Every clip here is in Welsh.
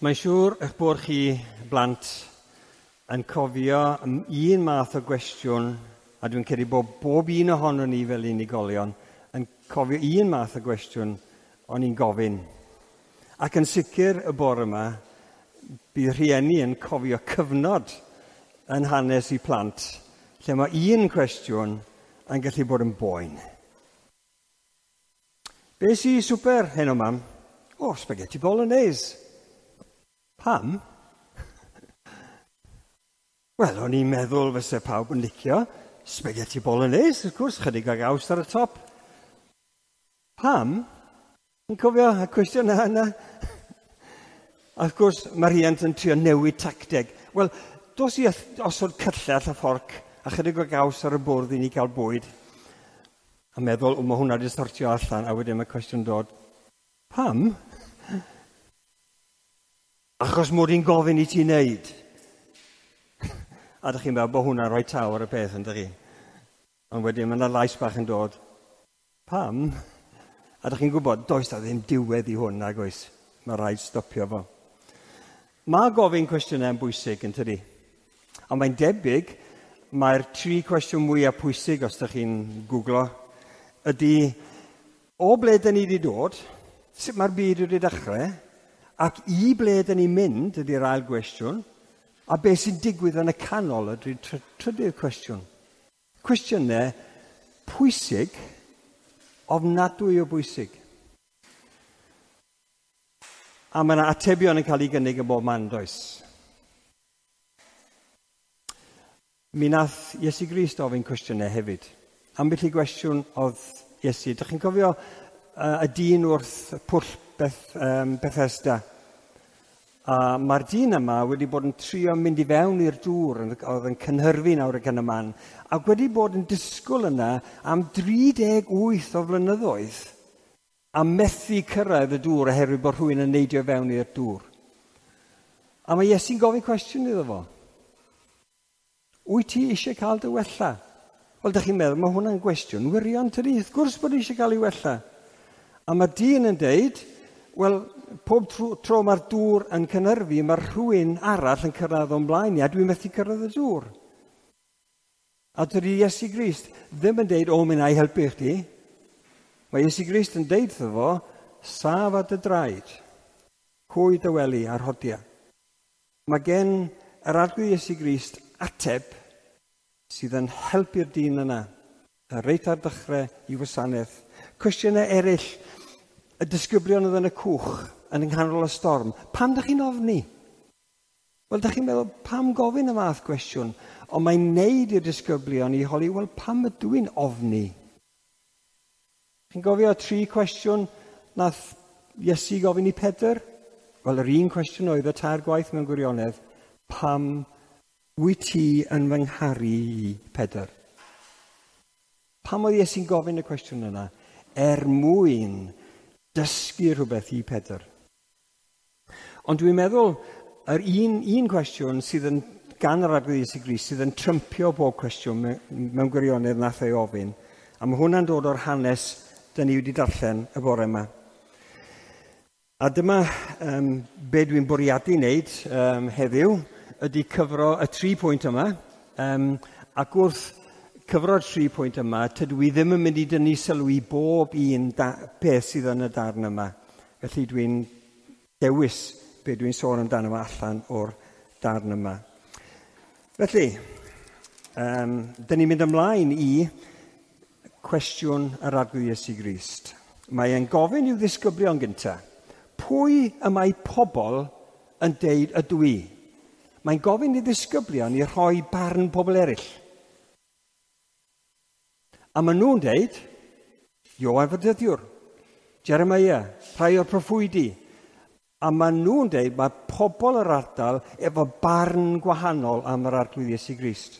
Mae'n siŵr eich bod chi blant yn cofio un math o gwestiwn, a dwi'n credu bod bob un ohonon ni fel unigolion yn cofio un math o gwestiwn o'n i'n gofyn. Ac yn sicr y bore yma, bydd rhieni yn cofio cyfnod yn hanes i plant, lle mae un cwestiwn yn gallu bod yn boen. Be sy i swper heno, mam? O, spaghetti bolognese. Pam? Wel, o'n i'n meddwl fyse pawb yn licio spaghetti bolognese, wrth gwrs, chydig o gaws ar y top. Pam? Yn cofio y cwestiwn yna? A wrth gwrs, mae rhiant yn trio newid tacteg. Wel, dos i osod cyllell a fforc a chydig o gaws ar y bwrdd i ni gael bwyd. A meddwl, o, mae hwnna wedi sortio allan, a wedyn mae cwestiwn dod. Pam? Achos mod i'n gofyn i ti wneud. A ydych chi'n meddwl bod hwnna'n rhoi taw ar y peth, yn chi? Ond wedyn mae yna lais bach yn dod. Pam? A ydych chi'n gwybod, does da ddim diwedd i hwn, nag oes. Mae rhaid stopio fo. Mae gofyn cwestiynau yn bwysig, yn tydi? A mae'n debyg, mae'r tri cwestiwn mwyaf pwysig, os ydych chi'n googlo, ydy o ble dyn ni wedi dod, sut mae'r byd wedi dechrau, ac i ble dyn ni'n mynd ydy'r ail gwestiwn, a beth sy'n digwydd yn y canol ydy'r trydydd cwestiwn. Cwestiynau pwysig, ofnadwy o bwysig. A mae yna atebion yn cael ei gynnig yn bob man, does? Mi nath Iesu Grist ofyn cwestiynau hefyd. Ambell i gwestiwn oedd Iesu. Dych chi'n cofio y dyn wrth pwll Bethesda? A mae'r dyn yma wedi bod yn trio mynd i fewn i'r dŵr, oedd yn cynhyrfu nawr ac yn y man, ac wedi bod yn disgwyl yna am 38 o flynyddoedd a methu cyrraedd y dŵr oherwydd bod rhywun yn neidio fewn i'r dŵr. A mae Iesu'n gofyn cwestiwn iddo fo. Wyt ti eisiau cael dy wella? Wel, dych chi'n meddwl, mae hwnna'n gwestiwn wirion, tydi? Wrth gwrs bod eisiau cael ei wella. A mae dyn yn deud, wel, pob tro mae'r dŵr yn cynhyrfu, mae rhywun arall yn cyrraedd o'n blaen i, a dwi'n methu cyrraedd y dŵr. A dydy Iesu Grist ddim yn deud, o, mi wna i helpu chdi. Mae Iesu Grist yn deud wrtho fo, saf ar dy draed, hwy dy wely a'r rhodia. Mae gen yr Arglwydd Iesu Grist ateb sydd yn helpu'r dyn yna, reit ar dechrau i wasanaeth. Cwestiynau eraill, y disgyblion oedd yn y cwch yn nghanol y storm. Pam dych chi'n ofni? Wel, dych chi'n meddwl, pam gofyn y fath gwestiwn? Ond mae'n neud i'r disgyblion i holi, wel, pam ydw i'n ofni? Chi'n gofio tri cwestiwn nath Iesu gofyn i Pedr? Wel, yr un cwestiwn oedd y tair gwaith mewn gwirionedd, pam wyt ti yn fy ngharu i, Pedr? Pam oedd Iesu'n gofyn y cwestiwn yna? Er mwyn dysgu rhywbeth i Pedr. Ond dwi'n meddwl, yr un cwestiwn sydd yn gan yr Arglwydd Iesu Grist, sydd yn trympio bob cwestiwn mewn gwirionedd nath ei ofyn, a mae hwnna'n dod o'r hanes dyn ni wedi darllen y bore yma. A dyma be dwi'n bwriadu wneud heddiw, ydy cyfro y tri pwynt yma, ac wrth cyfro'r tri pwynt yma, tydw i ddim yn mynd i dynnu sylw i bob un peth sydd yn y darn yma. Felly dwi'n dewis be dwi'n sôn amdano fo allan o'r darn yma. Felly, dyn ni'n mynd ymlaen i cwestiwn yr Arglwydd Iesu Grist. Mae e'n gofyn i'w ddisgyblion gyntaf, pwy y mae pobl yn deud ydw i? Mae'n gofyn i ddisgyblion i rhoi barn pobl eraill. A maen nhw'n deud, Ioan Fedyddiwr, Jeremiah, rhai o'r proffwydi. A maen nhw'n deud mae pobl yr ardal efo barn gwahanol am yr Arglwydd Iesu Grist.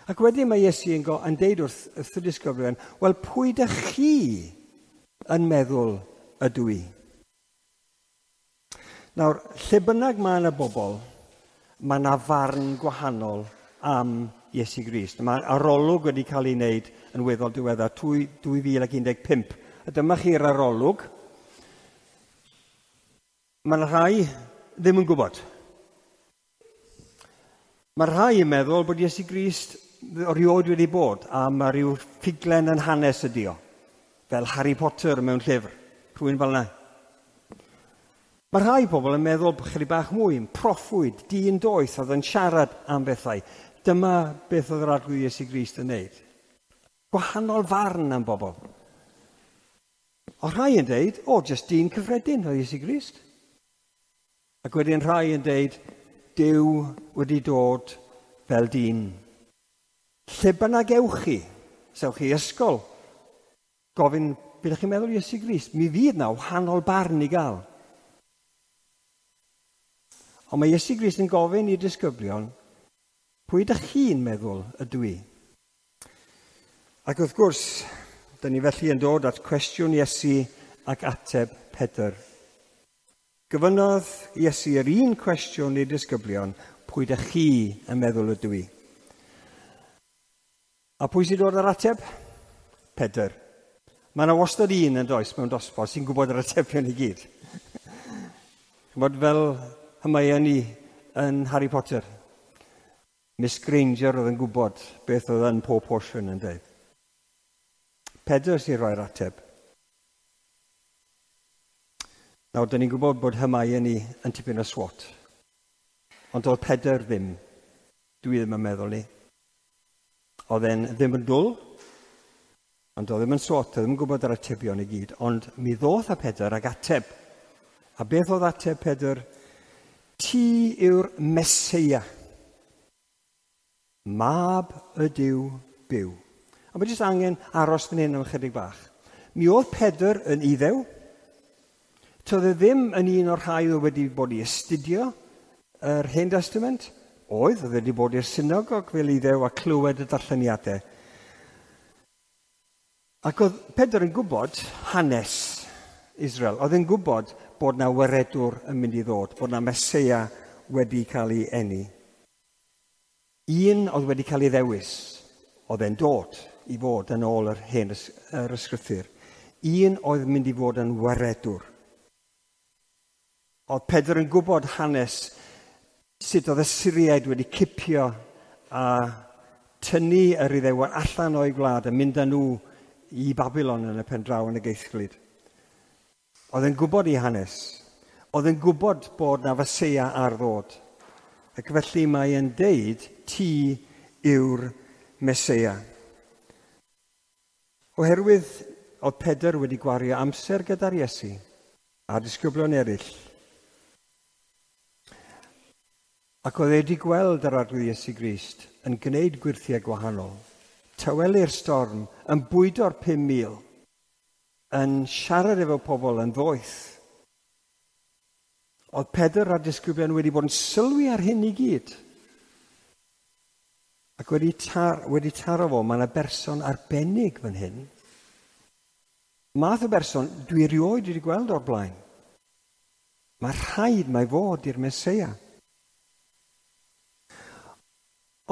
Ac wedyn mae Iesu yn deud wrth y disgyblion, wel, pwy dych chi yn meddwl ydw i? Nawr, lle bynnag mae yna bobl, mae yna farn gwahanol am Iesu Grist. Mae arolwg wedi cael ei wneud yn weddol diweddar, 2015. A dyma chi'r arolwg. Mae yna rhai ddim yn gwybod. Mae rhai yn meddwl bod Iesu Grist erioed wedi bod, a mae rhyw ffuglen yn hanes ydi o, fel Harry Potter mewn llyfr, rhywun fel yna. Mae rhai pobl yn meddwl bod chydig bach mwy yn proffwyd, dyn doeth oedd yn siarad am bethau. Dyma beth oedd yr Arglwydd Iesu Grist yn wneud. Gwahanol farn am bobl. O rhai yn deud, o, jyst dyn cyffredin oedd Iesu Grist. Ac wedyn rhai yn deud, Duw wedi dod fel dyn. Lle bynnag ewch chi, sewch chi ysgol, gofyn, beth ydych chi'n meddwl Iesu Grist? Mi fydd na wahanol barn i gael. Ond mae Iesu Grist yn gofyn i'r disgyblion, pwy ydych chi'n meddwl ydw i? Ac wrth gwrs, dyn ni felly yn dod at cwestiwn Iesu ac ateb Pedr. Gofynnodd Iesu yr un cwestiwn i'r disgyblion, pwy ydych chi yn meddwl ydw i? A pwy sy'n dod ar ateb? Pedr. Mae yna wastad un yn does mewn dosbarth sy'n gwybod yr atebion i gyd. Ch'mod fel Hermione yn Harry Potter. Miss Granger oedd yn gwybod beth oedd yn pob potion yn dweud. Pedr sy'n rhoi'r ateb. Nawr, dyn ni'n gwybod bod Hermione yn tipyn o swot. Ond oedd Pedr ddim. Dwi ddim yn meddwl ni. Oedd e'n ddim yn dwl, ond oedd ddim yn swot, oedd ddim yn gwybod yr atebion i gyd. Ond mi ddoth â Pedr ag ateb. A beth oedd ateb Pedr? Ti yw'r Meseia, mab y Duw byw. A mae jyst angen aros fan hyn am ychydig bach. Mi oedd Pedr yn Iddew. Toedd e ddim yn un o'r rhai oedd wedi bod i astudio yr Hen Testament. Oedd wedi bod i'r synagog fel Iddew a clywed y darlleniadau. Ac oedd Pedr yn gwybod hanes Israel. Oedd yn gwybod bod na waredwr yn mynd i ddod, bod na Meseia wedi cael ei eni. Un oedd wedi cael ei ddewis, oedd e'n dod i fod yn ôl yr hen yr ysgrythur. Un oedd mynd i fod yn waredwr. Oedd Pedr yn gwybod hanes sut oedd y Syriaid wedi cipio a tynnu yr Iddewon allan o'i gwlad a mynd â nhw i Babilon yn y pen draw yn y geithglyd. Oedd yn gwybod ei hanes. Oedd yn gwybod bod na Feseia ar ddod. Ac felly mae e'n deud, ti yw'r Meseia. Oherwydd oedd Pedr wedi gwario amser gyda'r Iesu a disgyblion eraill. Ac oedd e wedi gweld yr Arglwydd Iesu Grist yn gwneud gwyrthiau gwahanol, tawelu'r storm, yn bwydo'r 5,000, yn siarad efo pobl yn ddoeth. Oedd Pedr a'r disgyblion wedi bod yn sylwi ar hyn i gyd. Ac wedi taro fo, mae yna berson arbennig fan hyn. Math o berson dwi erioed wedi gweld o'r blaen. Mae rhaid mai fod i'r Meseia.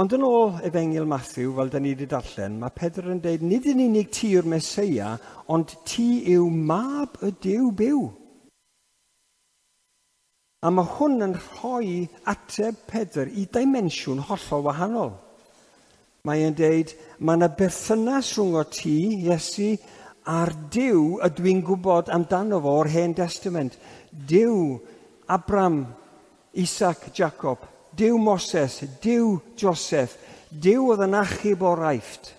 Ond yn ôl Efengyl Mathew, fel da ni wedi darllen, mae Pedr yn deud, nid yn unig ti yw'r Meseia, ond ti yw mab y Duw byw. A mae hwn yn rhoi ateb Pedr i dimensiwn hollol wahanol. Mae e'n deud, mae yna berthynas rhwng o ti, Iesu, a'r Duw ydw i'n gwybod amdano fo o'r Hen Testament. Duw Abraham, Isaac, Jacob, Duw Moses, Duw Joseph, Duw oedd yn achub o'r Aifft.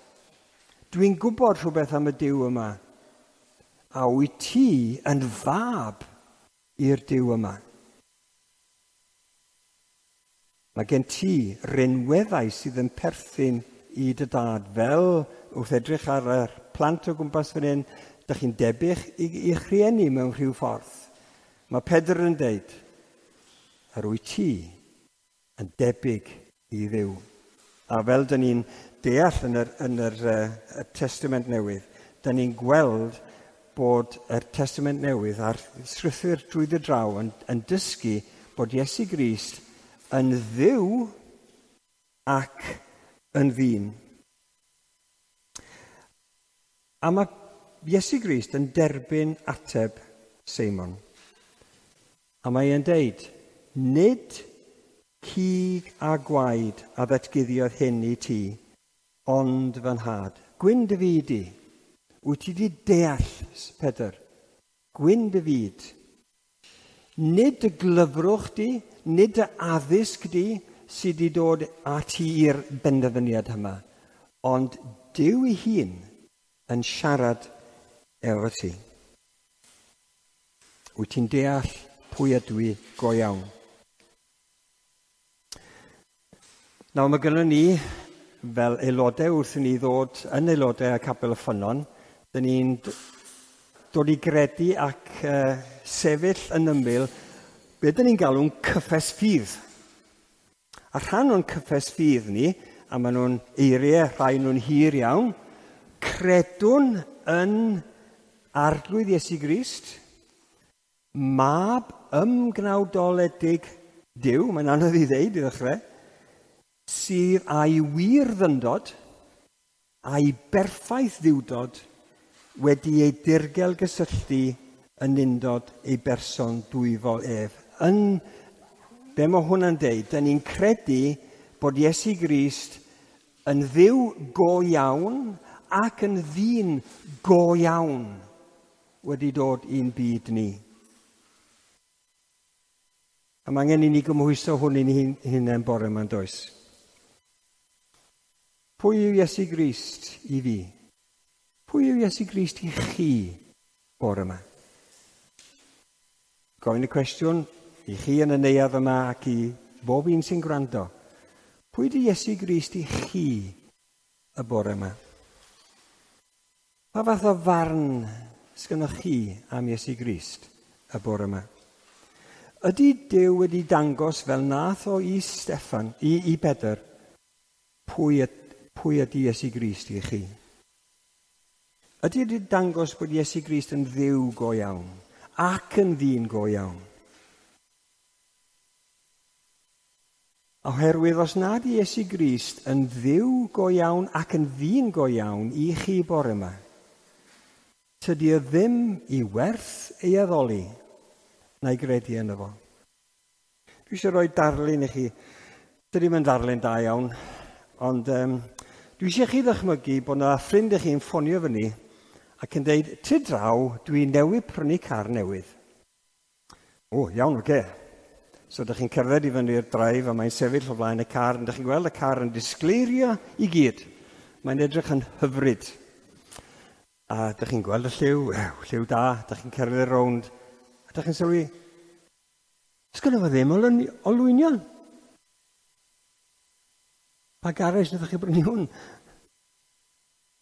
Dwi'n gwybod rhywbeth am y Duw yma. A wyt ti yn fab i'r Duw yma. Mae gen ti rinweddau sydd yn perthyn i dy dad. Fel wrth edrych ar y plant o gwmpas fan hyn, dych chi'n debyg i'ch rhieni mewn rhyw ffordd. Mae Pedr yn deud, yr wyt ti yn debyg i Dduw. A fel dyn ni'n deall yn yr Testament Newydd, dyn ni'n gweld bod yr Testament Newydd a'r Sgrythur drwyddo draw yn dysgu bod Iesu Grist yn Dduw ac yn ddyn. A mae Iesu Grist yn derbyn ateb Seimon. A mae e'n deud, nid cig a gwaed a ddatguddiodd hyn i ti, ond fy nhad. Gwyn dy fyd i. Wyt ti wedi deall, Pedr? Gwyn dy fyd. Nid y glyfrwch di, nid y addysg di sydd wedi dod â ti i'r benderfyniad yma, ond Duw ei hun yn siarad efo ti. Wyt ti'n deall pwy ydw i go iawn? Nawr, mae gynnon ni, fel aelodau wrth i ni ddod yn aelodau y Capel y Ffynnon, dyn ni'n dod i gredu ac sefyll yn ymyl be dyn ni'n galw'n cyffes ffydd. A rhan o'n cyffes ffydd ni, a maen nhw'n eiriau, rhai nhw'n hir iawn, credwn yn Arglwydd Iesu Grist, mab ymgnawdoledig Duw, mae'n anodd i ddeud i ddechrau, sydd â'i wir ddyndod, a'i berffaith ddiwdod, wedi ei dirgel gysylltu yn undod ei berson dwyfol ef. Yn be mae hwnna'n deud, dyn ni'n credu bod Iesu Grist yn Dduw go iawn ac yn ddyn go iawn wedi dod i'n byd ni. A mae angen i ni gymhwyso hwn i'n hunain bore yma'n does. Pwy yw Iesu Grist i fi? Pwy yw Iesu Grist i chi bore yma? Gofyn y cwestiwn i chi yn y neuadd yma ac i bob un sy'n gwrando. Pwy ydy Iesu Grist i chi y bore yma? Pa fath o farn sgynnoch chi am Iesu Grist y bore yma? Ydy Duw wedi dangos fel nath o i Steffan, i Pedr, pwy ydy Iesu Grist i chi? Ydy wedi dangos bod Iesu Grist yn Dduw go iawn ac yn ddyn go iawn? Oherwydd os nad Iesu Grist yn Dduw go iawn ac yn ddyn go iawn i chi bore yma, tydi o ddim i werth ei addoli na'i gredu yno fo. Dwi eisiau rhoi darlun i chi. Dydy ddim yn ddarlun da iawn, ond dwi eisiau chi ddychmygu bod yna ffrind i chi'n ffonio fyny ac yn deud, "Ty draw, dwi newydd prynu car newydd." O, iawn, oce. So, ydych chi'n cerdded i fyny'r drive a mae'n sefyll o flaen y car, a ydych chi'n gweld y car yn disgleirio i gyd. Mae'n edrych yn hyfryd. A ydych chi'n gweld y lliw, lliw da, ydych chi'n cerdded rownd, a ydych chi'n sylwi, sgynno fo ddim olwynion. Pa garej wnaethoch chi brynu hwn?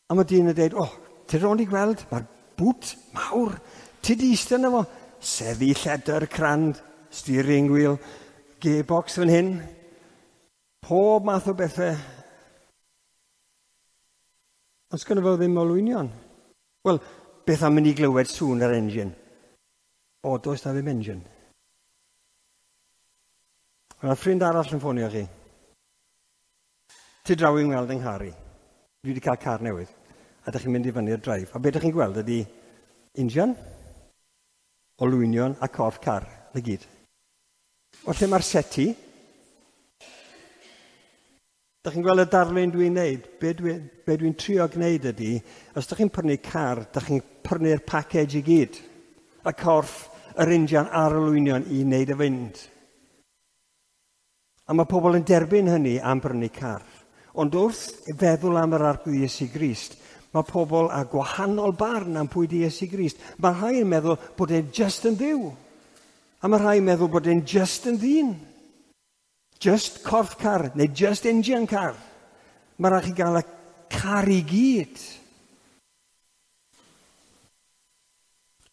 A mae dyn yn dweud, o, ti rownd i gweld, mae'r bŵt mawr, ti di eistedd yna fo, seddi lledr crand, steering wheel, gearbox fan hyn, pob math o bethau. Ond sgynno fo ddim olwynion. Wel, beth am mynd i glywed sŵn yr engine? O, does na ddim engine. Mae ffrind arall yn ffonio chi. Ti draw i'n weld yng nghar i. Dwi wedi cael car newydd. A ydych chi'n mynd i fyny'r drive. A beth ydych chi'n gweld ydy injan, olwynion a corff car. Na gyd. O lle mae'r seti? Dych chi'n gweld y darlun dwi'n neud? Be dwi'n trio gwneud ydy, os ydych chi'n prynu car, ydych chi'n prynu'r package i gyd. Y corff, yr injan a'r olwynion i wneud y fynd. A mae pobl yn derbyn hynny am brynu car. Ond wrth feddwl am yr Arglwydd Iesu Grist, mae pobl â gwahanol barn am pwy di Iesu Grist. Mae rhai yn meddwl bod e'n just yn Dduw. A mae rhai yn meddwl bod e'n just yn ddyn. Just corff car, neu just engine car. Mae rhaid chi gael y car i gyd.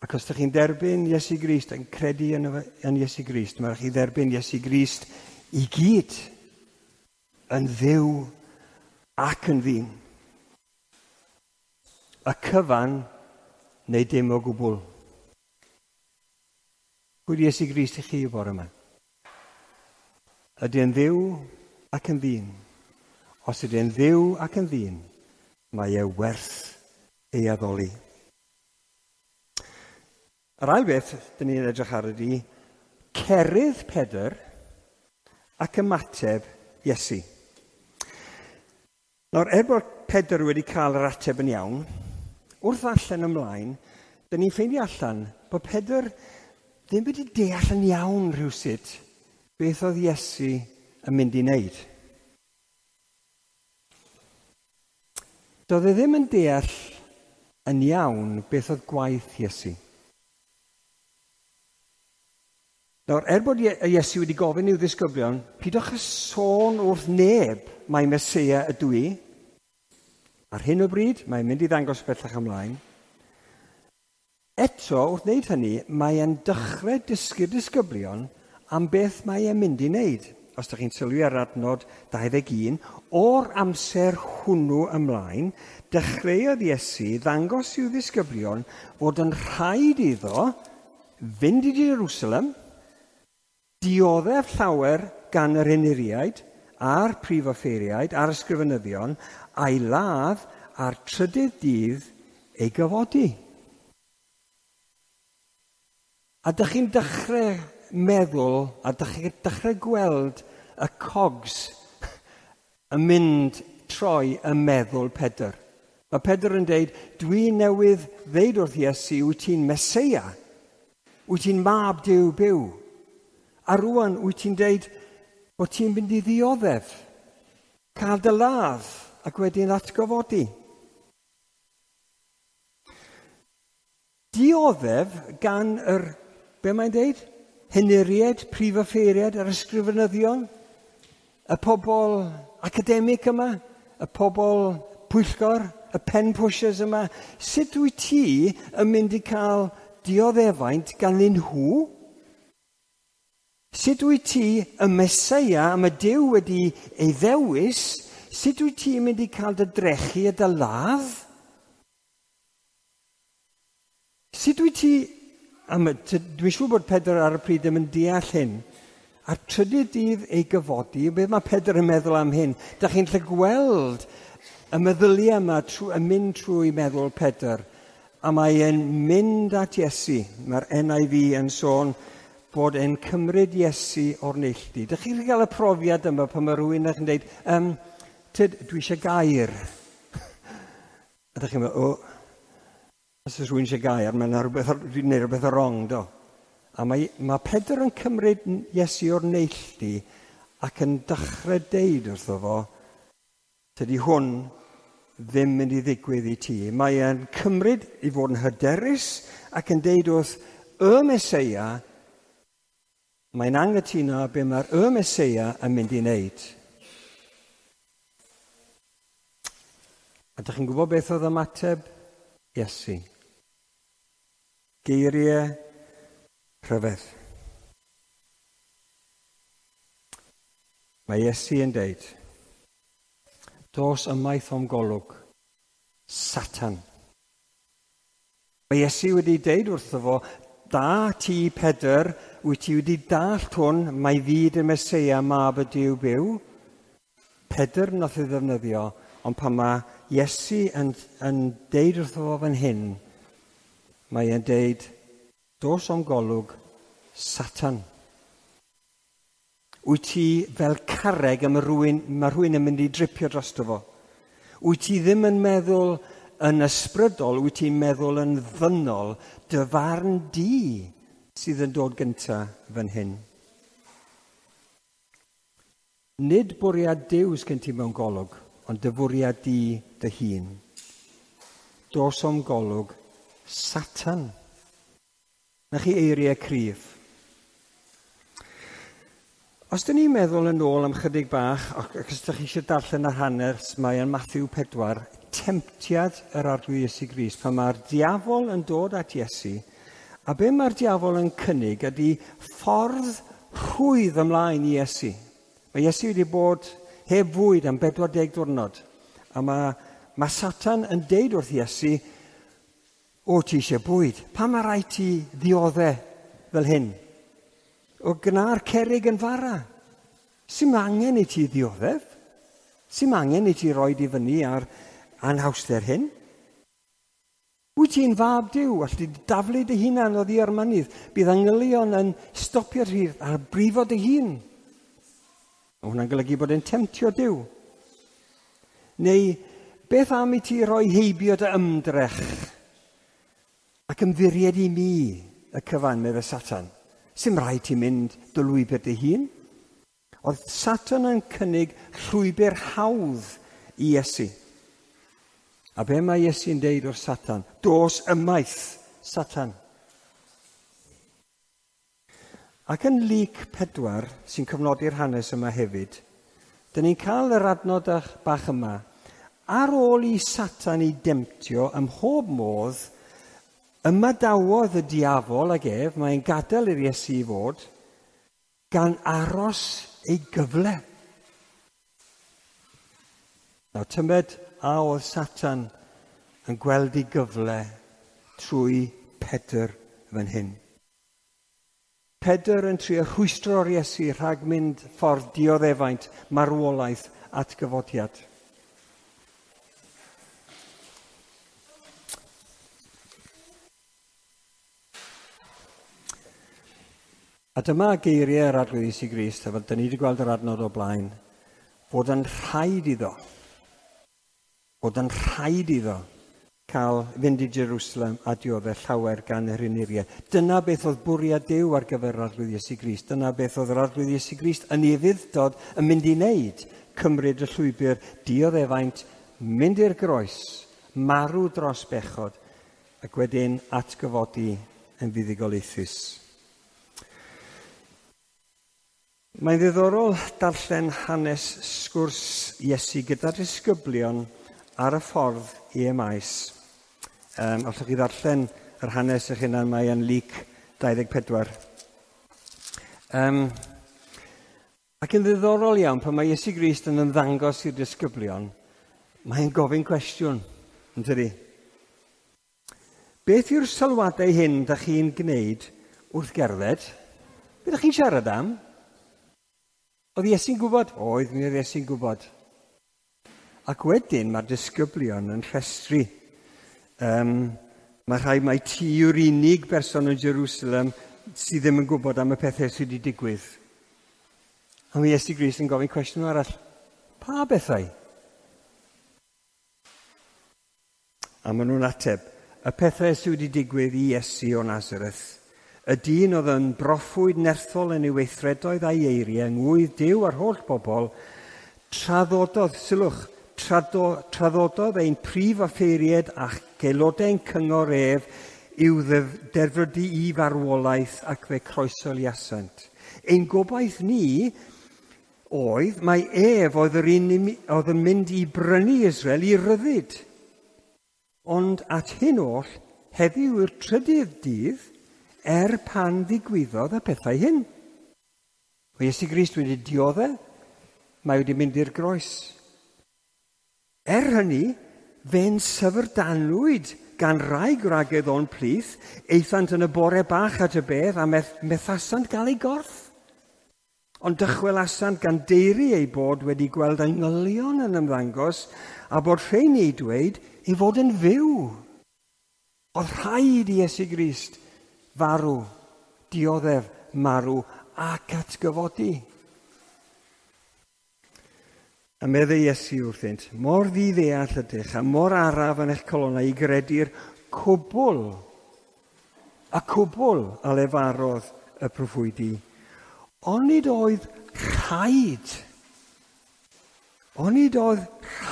Ac os ydych chi'n derbyn Iesu Grist, yn credu yn Iesu Grist, mae rhaid chi dderbyn Iesu Grist i gyd yn Dduw ac yn ddyn. Y cyfan neu dim o gwbl. Pwy di Iesu Grist i chi y bore yma? Ydy e'n Dduw ac yn ddyn? Os ydy e'n Dduw ac yn ddyn, mae e werth ei addoli. Yr ail beth dyn ni'n edrych ar ydy Cerydd Pedr ac ymateb Iesu. Nawr, er bod Pedr wedi cael yr ateb yn iawn, wrth allan ymlaen, dyn ni'n ffeindio allan bod Pedr ddim wedi deall yn iawn rhywsut beth oedd Iesu yn mynd i wneud. Doedd e ddim yn deall yn iawn beth oedd gwaith Iesu. Nawr, er bod Iesu wedi gofyn i'w ddisgyblion, pidwch â sôn wrth neb mai Meseia ydw i. Ar hyn o bryd, mae'n mynd i ddangos bellach ymlaen. Eto, wrth wneud hynny, mae e'n dechrau dysgu'r disgyblion am beth mae e'n mynd i wneud. Os ydych chi'n sylwi ar adnod 21, o'r amser hwnnw ymlaen, dechreuodd Iesu ddangos i'w ddisgyblion fod yn rhaid iddo fynd i Jerusalem, dioddef llawer gan yr henuriaid a'r prif offeiriaid a'r ysgrifenyddion, a'i ladd a'r trydydd dydd ei gyfodi. A dych chi'n dechrau meddwl, a dych chi'n dechrau gweld y cogs yn mynd troi y meddwl Pedr. Mae Pedr yn deud, dwi newydd ddeud wrth Iesu, wyt ti'n Meseia, wyt ti'n mab Duw byw. A rwan wyt ti'n deud bod ti'n mynd i ddioddef, cael dy ladd ac wedyn atgyfodi. Dioddef gan yr, be mae'n deud? Henuriaid, prif offeiriaid, yr ysgrifenyddion, y pobl academig yma, y pobl pwyllgor, y pen pushers yma. Sut wyt ti yn mynd i cael dioddefaint ganddyn nhw? Sut wyt ti y Meseia am y Duw wedi ei ddewis, sut wyt ti'n mynd i cael dy drechu a dy ladd? Sut wyt ti... Dwi'n siŵr bod Pedr ar y pryd ddim yn deall hyn. A'r trydydd dydd ei gyfodi, beth mae Pedr yn meddwl am hyn? Dach chi'n gallu gweld y meddyliau yma yn mynd trwy meddwl Pedr. A mae e'n mynd at Iesu. Mae'r NIV yn sôn bod e'n cymryd Iesu o'r neilltu. Dych chi'n cael y profiad yma pan mae rhywun yn dweud, tyd, dwi eisiau gair. A dych chi'n meddwl, o, os oes rhywun eisiau gair, mae'n rhywbeth, dwi'n gwneud rhywbeth wrong, do. A mae Pedr yn cymryd Iesu o'r neilltu ac yn dechrau deud wrtho fo, tydi hwn ddim mynd i ddigwydd i ti. Mae e'n cymryd i fod yn hyderus ac yn deud wrth y Meseia, mae'n anghytuno be mae'r y Meseia yn mynd i wneud. A dych chi'n gwybod beth oedd ymateb Iesu? Geiriau rhyfedd. Mae Iesu yn deud, dos ymaith o'm golwg, Satan. Mae Iesu wedi deud wrtho fo, da ti, Pedr, wyt ti wedi dallt hwn, mae fi dy Meseia, mab y Duw byw. Pedr nath ei ddefnyddio, ond pan mae Iesu yn deud wrtho fo fan hyn, mae e'n deud, dos o'm golwg, Satan. Wyt ti fel carreg a mae rhywun yn mynd i dripio drosto fo. Wyt ti ddim yn meddwl yn ysbrydol, wyt ti'n meddwl yn ddynol, dy farn di sydd yn dod gynta fan hyn. Nid bwriad Duw sgen ti mewn golwg, ond dy fwriad di dy hun. Dos o'm golwg, Satan. Na chi eiriau cryf. Os dyn ni'n meddwl yn ôl am chydig bach, ac os ydych chi eisiau darllen yr hanes, mae yn Matthew 4, temtiad yr Arglwydd Iesu Grist, pan mae'r diafol yn dod at Iesu, a be mae'r diafol yn cynnig ydy ffordd rhwydd ymlaen i Iesu. Mae Iesu wedi bod heb fwyd am 40 diwrnod, a mae Satan yn deud wrth Iesu, o, ti eisiau bwyd, pam mae rhaid ti ddioddef fel hyn? O gna'r cerrig yn fara. Sy'm angen i ti ddioddef? Sy'm angen i ti roid i fyny ar anhawster hyn? Wyt ti'n fab Duw, alli di daflu dy hunan oddi ar mynydd. Bydd angylion yn stopio ti a brifo dy hun. Mae hwnna'n golygu bod e'n temtio Duw. Neu, beth am i ti roi heibio dy ymdrech ac ymddiried i mi y cyfan, meddai Satan. Sim rhaid ti mynd dy lwybr dy hun. Oedd Satan yn cynnig llwybr hawdd i Iesu. A be mae Iesu'n deud wrth Satan? Dos ymaith, Satan. Ac yn Luc 4, sy'n cyfnodi'r hanes yma hefyd, dyn ni'n cael yr adnod bach yma. Ar ôl i Satan ei demtio ym mhob modd, ymadawodd y diafol ag ef, mae'n gadael i'r Iesu i fod, gan aros ei gyfle. Nawr, tymed a oedd Satan yn gweld ei gyfle trwy Pedr fan hyn. Pedr yn trio rhwystro'r Iesu rhag mynd ffordd dioddefaint, marwolaeth, atgyfodiad. A dyma geiriau yr Arglwydd Iesu Grist, a fel dyn ni wedi gweld yr adnod o blaen, fod yn rhaid iddo, fod yn rhaid iddo cael fynd i Jerusalem a dioddef llawer gan yr henuriaid. Dyna beth oedd bwriad Duw ar gyfer yr Arglwydd Iesu Grist. Dyna beth oedd yr Arglwydd Iesu Grist yn ei ufudd-dod yn mynd i wneud, cymryd y llwybr dioddefaint, mynd i'r groes, marw dros bechod, ac wedyn atgyfodi yn fuddugoliaethus. Mae'n ddiddorol darllen hanes sgwrs Iesu gyda'r disgyblion ar y ffordd i Emaus. Allwch chi ddarllen yr hanes eich hunan, mae yn Luc 24. Ac yn ddiddorol iawn, pan mae Iesu Grist yn ymddangos i'r disgyblion, mae'n gofyn cwestiwn, yn tydi? Beth yw'r sylwadau hyn da chi'n gwneud wrth gerdded? Be da chi'n siarad am? Oedd Iesu'n gwybod? Oedd, mi oedd Iesu'n gwybod. Ac wedyn mae'r disgyblion yn rhestru. Mae rhai mai ti yw'r unig berson yn Jerusalem sydd ddim yn gwybod am y pethau sydd wedi digwydd. A mae Iesu Grist yn gofyn cwestiwn arall. Pa bethau? A maen nhw'n ateb. Y pethau sydd wedi digwydd i Iesu o Nazareth. Y dyn oedd yn broffwyd nerthol yn ei weithredoedd a'i eiriau, yng ngwydd Duw a'r holl bobl, traddododd, sylwch, traddododd ein prif offeiriaid ac aelodau'n cyngor ef i'w derfydu i farwolaeth ac fe croesoliasant. Ein gobaith ni oedd mai ef oedd yr un oedd yn mynd i brynu Israel i ryddid. Ond at hyn oll, heddiw yw'r trydydd dydd, pan ddigwyddodd y pethau hyn. Mae Iesu Grist wedi dioddef, mae wedi mynd i'r groes. Hynny, fe'n syfrdanwyd gan rai gwragedd o'n plith, aethant yn y bore bach at y bedd a methasant gael ei gorff. Ond dychwelasant gan deiri ei bod wedi gweld angylion yn ymddangos a bod rheini ei dweud ei fod yn fyw. Oedd rhaid i Iesu Grist farw, dioddef, marw ac atgyfodi. A meddai Iesu wrthynt, mor ddiddeall ydych a mor araf yn eich colonnau i gredu'r cwbl, y cwbl a lefarodd y proffwydi. Onid oedd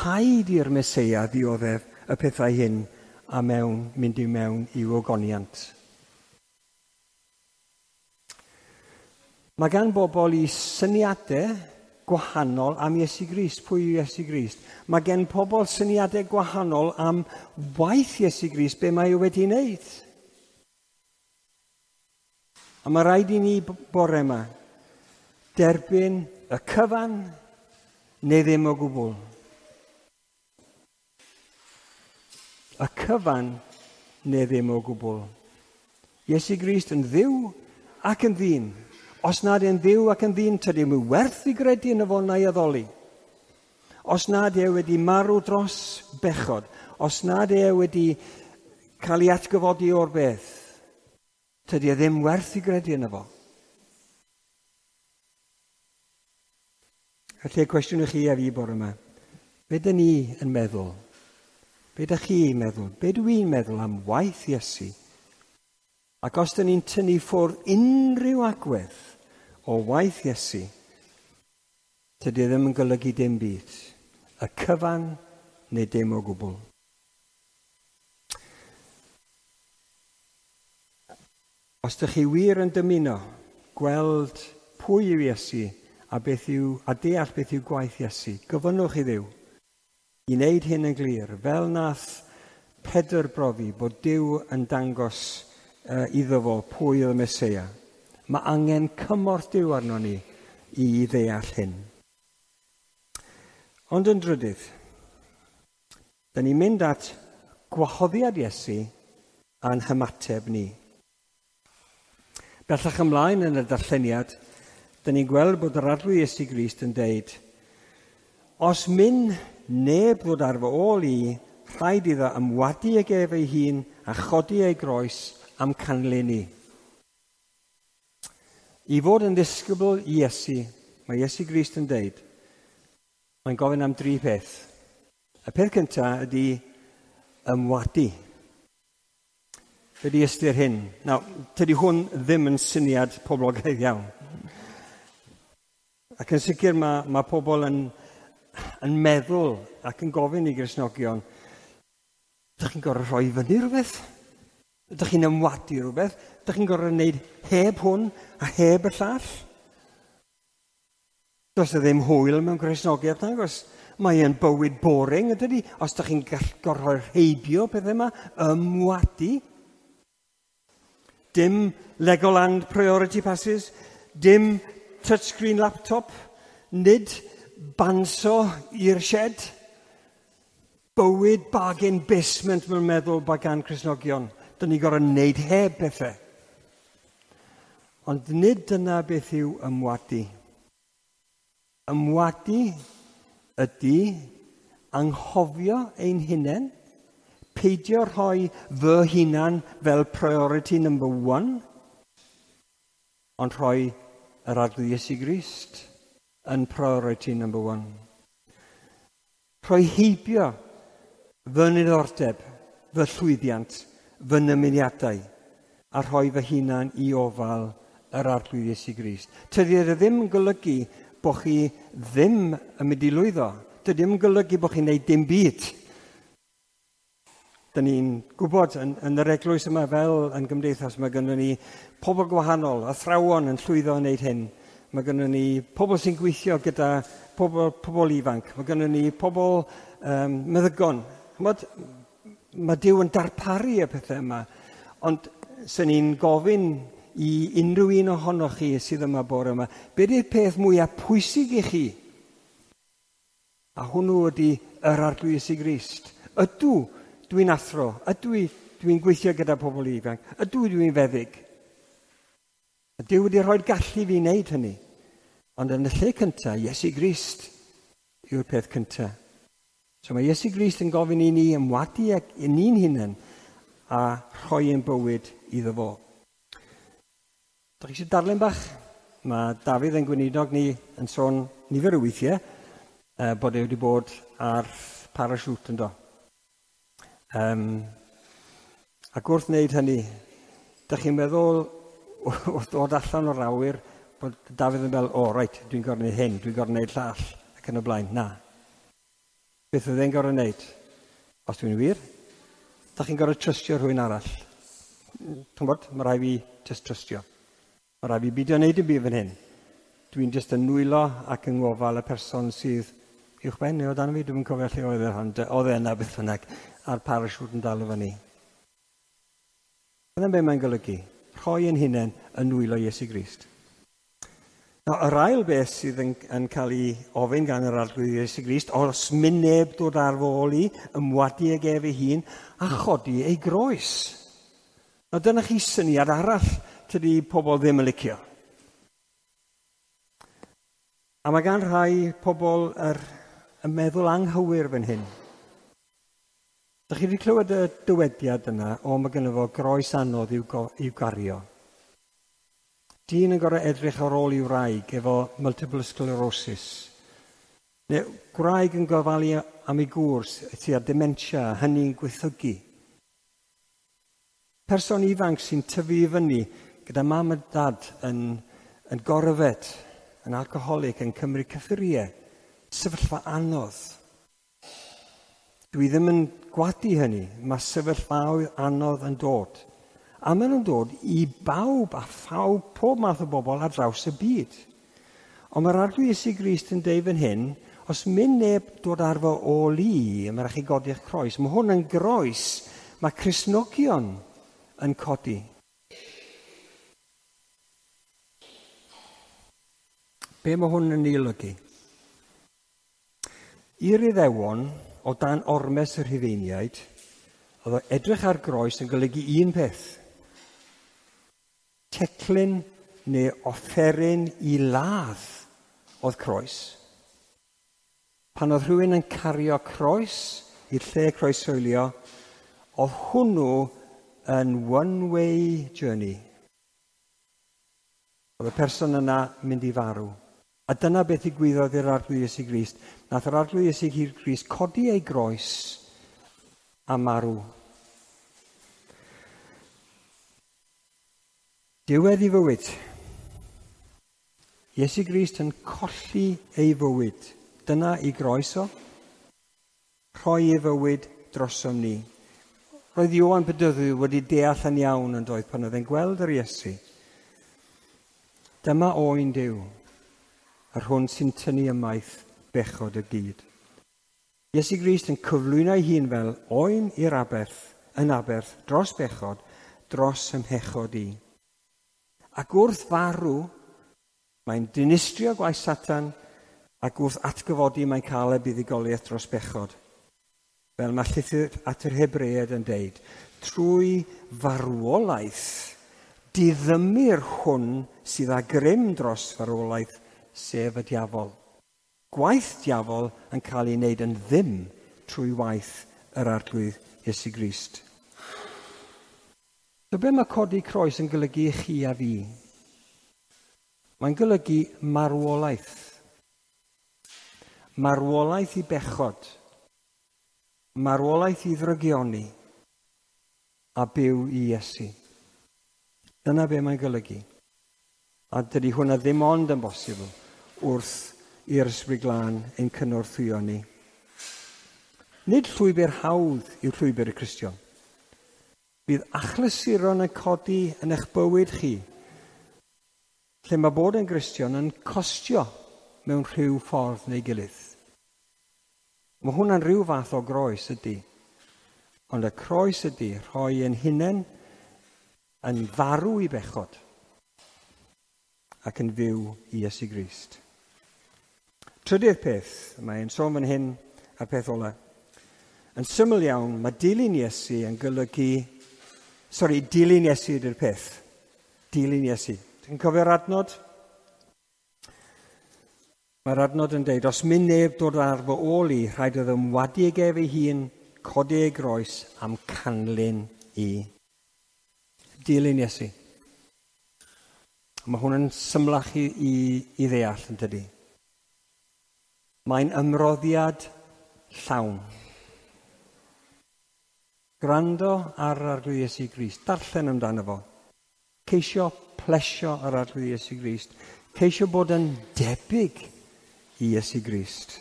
rhaid i'r Meseia ddioddef y pethau hyn a mynd i mewn i'w ogoniant. Mae gan bobl i syniadau gwahanol am Iesu Grist. Pwy yw Iesu Grist? Mae gen pobl syniadau gwahanol am waith Iesu Grist, be mae o wedi wneud. A mae rhaid i ni bore yma derbyn y cyfan neu ddim o gwbl. Y cyfan neu ddim o gwbl. Iesu Grist yn Dduw ac yn ddyn. Os nad e'n Dduw ac yn ddyn, tydi ddim werth i gredu yn y fo na'i addoli. Os nad e wedi marw dros bechod, os nad e wedi cael ei atgyfodi o'r beth, tydi e ddim werth i gredu yno fo. Felly y cwestiwn i chi a fi bore yma, be dyn ni yn meddwl? Be dych chi'n meddwl? Be dwi'n meddwl am waith Iesu? Ac os dyn ni'n tynnu ffwrdd unrhyw agwedd o waith Iesu, tydi e ddim yn golygu dim byd. Y cyfan neu dim o gwbl. Os ydych chi wir yn dymuno gweld pwy yw Iesu a, beth yw, a deall beth yw gwaith Iesu, gofynnwch i Dduw i wneud hyn yn glir, fel nath Pedr brofi bod Duw yn dangos iddo fo pwy oedd y Meseia. Mae angen cymorth Duw arno ni i ddeall hyn. Ond yn drydydd, da ni'n mynd at gwahoddiad Iesu a'n hymateb ni. Bellach ymlaen yn y darlleniad, da ni'n gweld bod yr Arglwydd Iesu Grist yn deud, os myn neb ddod ar fy ôl i, rhaid iddo ymwadu ag ef ei hun a chodi ei groes am canlyn i. I fod yn ddisgybl i Iesu, mae Iesu Grist yn deud, mae'n gofyn am dri peth. Y peth cyntaf ydy ymwadu. Be di ystyr hyn? Nawr, tydi hwn ddim yn syniad poblogaidd iawn. Ac yn sicr mae pobl yn meddwl ac yn gofyn i Gristnogion, ydych chi'n gorfod rhoi fyny rhywbeth? Ydych chi'n ymwadu rhywbeth? Ydych chi'n gorfod gwneud heb hwn a heb y llall? Does e ddim hwyl mewn Gristnogiaeth, nagos? Mae e'n bywyd boring, ydydi? Os ydych chi'n gorfod rheibio pethau yma, ymwadu. Dim Legoland priority passes, dim touchscreen laptop, nid banso i'r shed. Bywyd bargain basement mae'n meddwl bod gan Cristnogion. Dyn ni gorfod wneud heb pethau. Ond nid dyna beth yw ymwadu. Ymwadu ydy anghofio ein hunain, peidio rhoi fy hunan fel priority number one, ond rhoi yr Arglwydd Iesu Grist yn priority number one. Rhoi heibio fy niddordeb, fy llwyddiant, fy nymuniadau, a rhoi fy hunan i ofal yr Arglwydd Iesu Grist. Tydi e ddim yn golygu bod chi ddim yn mynd i lwyddo. Dydy ddim yn golygu bod chi'n gwneud dim byd. Dyn ni'n gwybod yn yr eglwys yma fel yn gymdeithas, mae gynnon ni pobl gwahanol, athrawon yn llwyddo yn wneud hyn. Mae gynnon ni pobl sy'n gweithio gyda pobl ifanc. Mae gynnon ni pobl meddygon. Ch'mod, mae Duw yn darparu y pethau yma. Ond sen ni'n gofyn i unrhyw un ohonoch chi sydd yma bore yma, be di'r peth mwyaf pwysig i chi? A hwnnw ydy yr Arglwydd Iesu Grist. Ydw, dwi'n athro. Ydw i, dwi'n gweithio gyda pobl ifanc. Ydw i, dwi'n feddyg. A Duw wedi rhoi'r gallu i fi wneud hynny. Ond yn y lle cyntaf, Iesu Grist yw'r peth cyntaf. So mae Iesu Grist yn gofyn i ni ymwadu ag i ni'n hunain a rhoi ein bywyd iddo fo. Dach chi eisiau darllen bach? Mae Dafydd yn gweinidog ni yn sôn nifer o weithiau bod e wedi bod ar parachute yndo. Ac wrth wneud hynny, dach chi'n meddwl wrth ddod allan o'r awyr bod Dafydd yn meddwl, o, reit, dwi'n gorfod gwneud hyn, dwi'n gorfod gwneud llall, ac yn y blaen. Na. Beth oedd e'n gorfod gwneud? Os dwi'n wir, dach chi'n gorfod trystio rhywun arall. Ti'n gwybod, mae rhaid fi just trystio. Mae rhaid fi beidio wneud dim byd fan hyn. Dwi'n just yn nwylo ac yng ngofal y person sydd uwchben neu o dan fi, dwi'n cofio lle oedd e, ond oedd e yna beth bynnag, a'r parachute yn dal o fyny. Dyna be mae'n golygu, rhoi ein hunain yn nwylo Iesu Grist. Nawr, yr ail beth sydd yn cael ei ofyn gan yr Arglwydd Iesu Grist, os myn neb dod ar fy ôl i, ymwadu ag ef ei hun, a chodi ei groes. Nawr, dyna chi syniad arall tydi pobl ddim yn licio. A mae gan rhai pobl y meddwl anghywir fan hyn. Dych chi wedi clywed y dywediad yna, o mae gynno fo groes anodd i'w gario. Dyn yn gorfod edrych ar ôl i'w wraig efo multiple sclerosis. Neu gwraig yn gofalu am ei gŵr sydd â dementia, hynny'n gwaethygu. Person ifanc sy'n tyfu i fyny gyda mam a dad yn goryfed, yn alcoholic, yn cymryd cyffuriau. Sefyllfa anodd. Dwi ddim yn gwadu hynny. Mae sefyllfaoedd anodd yn dod. A maen nhw'n dod i bawb a phawb, pob math o bobl ar draws y byd. Ond mae'r Arglwydd Iesu Grist yn deud fan hyn, os mynd neb dod ar fy ôl i, mae rhaid chi godi'ch croes. Mae hwn yn groes mae Cristnogion yn codi. Be mae hwn yn ei olygu? I'r Iddewon, o dan ormes y Rhufeiniaid, oedd o edrych ar groes yn golygu un peth. Teclyn neu offeryn i ladd oedd croes. Pan oedd rhywun yn cario croes i'r lle croeshoelio, oedd hwnnw yn one-way journey. Oedd y person yna mynd i farw. A dyna beth ddigwyddodd i'r Arglwydd Iesu Grist. Nath yr Arglwydd Iesu Grist codi ei groes a marw. Diwedd i fywyd. Iesu Grist yn colli ei fywyd. Dyna i groes o. Rhoi ei fywyd drosom ni. Roedd Ioan Bedyddiwr wedi deall yn iawn yn doedd pan oedd e'n gweld yr Iesu. Dyma oen Duw, yr hwn sy'n tynnu ymaith bechod y byd. Iesu Grist yn cyflwyno ei hun fel oen i'r aberth, yn aberth, dros bechod, dros ymhechod i. Ac wrth farw, mae'n dinistrio gwaith Satan, ac wrth atgyfodi mae'n cael y buddugoliaeth dros bechod. Fel mae llythyr at yr Hebreaid yn deud, trwy farwolaeth, diddymir hwn sydd â grym dros farwolaeth, sef y diafol. Gwaith diafol yn cael ei wneud yn ddim trwy waith yr Arglwydd Iesu Grist. So be mae codi croes yn golygu i chi a fi? Mae'n golygu marwolaeth. Marwolaeth i bechod. Marwolaeth i ddrygioni. A byw i Iesu. Dyna be mae'n golygu. A dydy hwnna ddim ond yn bosibl wrth i'r Ysbryd Glân ein cynorthwyo ni. Nid llwybr hawdd yw llwybr y Cristion. Bydd achlysuron yn codi yn eich bywyd chi, lle mae bod yn Gristion yn costio mewn rhyw ffordd neu gilydd. Mae hwnna'n rhyw fath o groes ydy. Ond y croes ydy rhoi ein hunain yn farw i bechod ac yn fyw i Iesu Grist. Trydydd peth, mae'n sôn fan hyn a'r peth ola. Yn syml iawn, mae dilyn Iesu yn golygu... Sori, dilyn Iesu ydy'r peth. Dilyn Iesu. Ti'n cofio'r adnod? Mae'r adnod yn deud, os mynd neb dod ar fy ôl i, rhaid iddo ymwadu ag ef ei hun, codi ei groes am canlyn i. Dilyn Iesu. Mae hwn yn symlach i ddeall yn dydy. Mae'n ymroddiad llawn. Gwrando ar yr Arglwydd Iesu Grist. Darllen amdano fo. Ceisio plesio yr Arglwydd Iesu Grist. Ceisio bod yn debyg i Iesu Grist.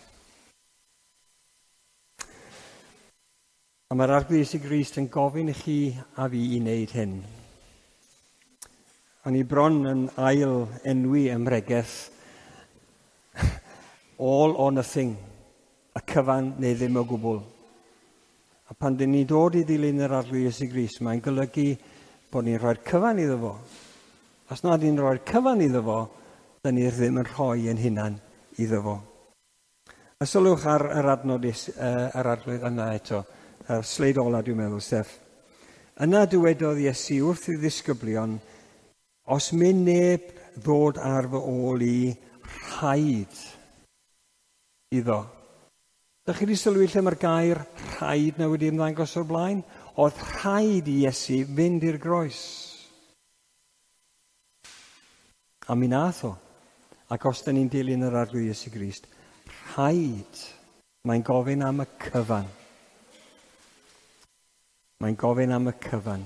A mae'r Arglwydd Iesu Grist yn gofyn i chi a fi i wneud hyn. O'n i bron yn ail enwi ym mhregeth all or nothing, y cyfan neu ddim o gwbl. A pan dyn ni'n dod i ddilyn yr Arglwydd Iesu Grist, mae'n golygu bod ni'n rhoi'r cyfan iddo fo. Os nad ni'n rhoi'r cyfan iddo fo, dyn ni ddim yn rhoi ein hunan iddo fo. A sylwch ar yr adnod yr Arglwydd yna eto, yr sleid ola dwi'n meddwl, Steff. Yna dywedodd Iesu wrth ei ddisgyblion, os mynd neb ddod ar fy ôl i, rhaid iddo. Dych chi wedi sylwi lle mae'r gair rhaid na wedi ymddangos o'r blaen? Oedd rhaid i Iesu fynd i'r groes. A mi nath o. Ac os da ni'n dilyn yr Arglwydd Iesu Grist, rhaid, mae'n gofyn am y cyfan. Mae'n gofyn am y cyfan.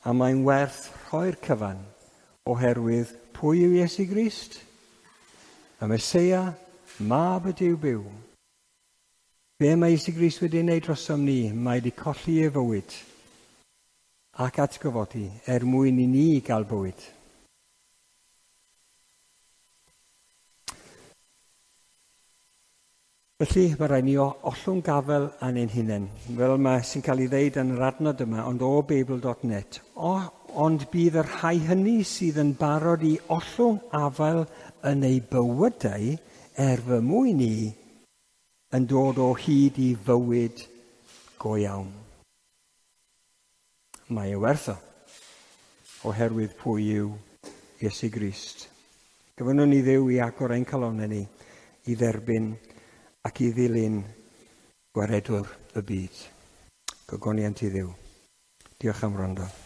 A mae'n werth rhoi'r cyfan oherwydd pwy yw Iesu Grist? Y Meseia, Mab y Duw byw. Be mae Iesu Grist wedi wneud drosom ni? Mae wedi colli ei fywyd ac atgyfodi er mwyn i ni gael bywyd. Felly, mae rhaid ni ollwng gafel yn ein hunain, fel mae sy'n cael ei ddeud yn yr adnod yma, ond o Beibl.net. Ond bydd y rhai hynny sydd yn barod i ollwng afael yn eu bywydau er fy mwyn i yn dod o hyd i fywyd go iawn. Mae e werth o, oherwydd pwy yw Iesu Grist. Gofynnwn ni Dduw i agor ein calonnau ni i dderbyn ac i ddilyn gwaredwr y byd. Gogoniant i Dduw. Diolch am wrando.